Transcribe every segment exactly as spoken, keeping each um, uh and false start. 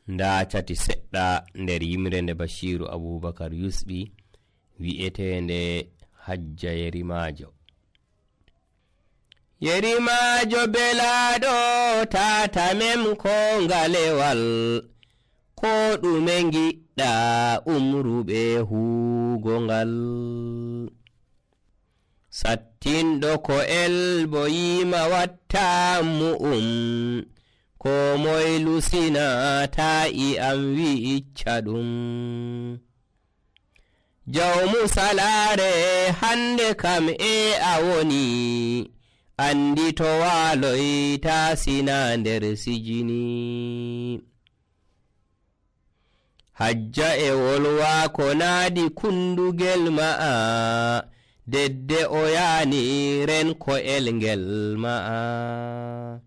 nda cati seɗɗa nder yimre nde Bashiru Abubakar Yusɓi wi'etende hajja yerimajo. Yerimajo belaɗo tata mem ko ngalewal, ko ɗume giɗɗa umruɓe huugo ngal. Sattinɗo ko elbo yima watta mu'um, ko moy lusina ta'i am wi'icca ɗum. Jawmu salare hande kam e a woni, andi to waloy tasina nder sijini. Hajja e wolwa ko naadi kundugel ma'a, dedde o yani ren ko elngel ma'a.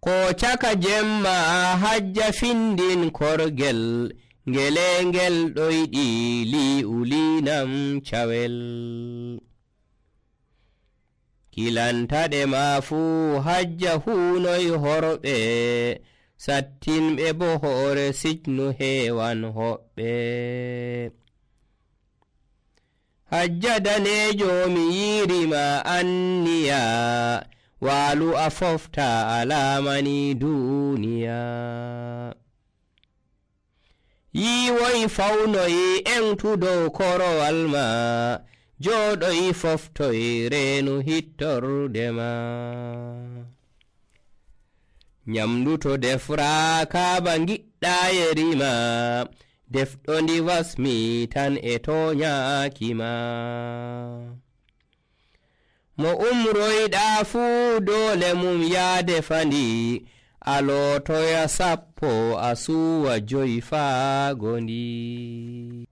Ko caka jemma hajja findin korgel, ngelengel ɗoyɗi li'ulinam cawel. Kilantaɗe ma fuu hajja hunoy horɓe, sattinɓe bo hoore sijnu heewan hoɓɓe. Hajja danejo mi yirima anniya, walu a fofta alamani duniya. Yiwoy fawnoy entudow korowal ma, joɗoy foftoy reenu hittorde ma. Nyamdu to defra ba giɗɗa yerima, defɗo ndi wasmi tan e toñaki ma. Mo umroyɗa fuu dole mum ya defandi, alotoya sappo a suwa joyi faa gondi.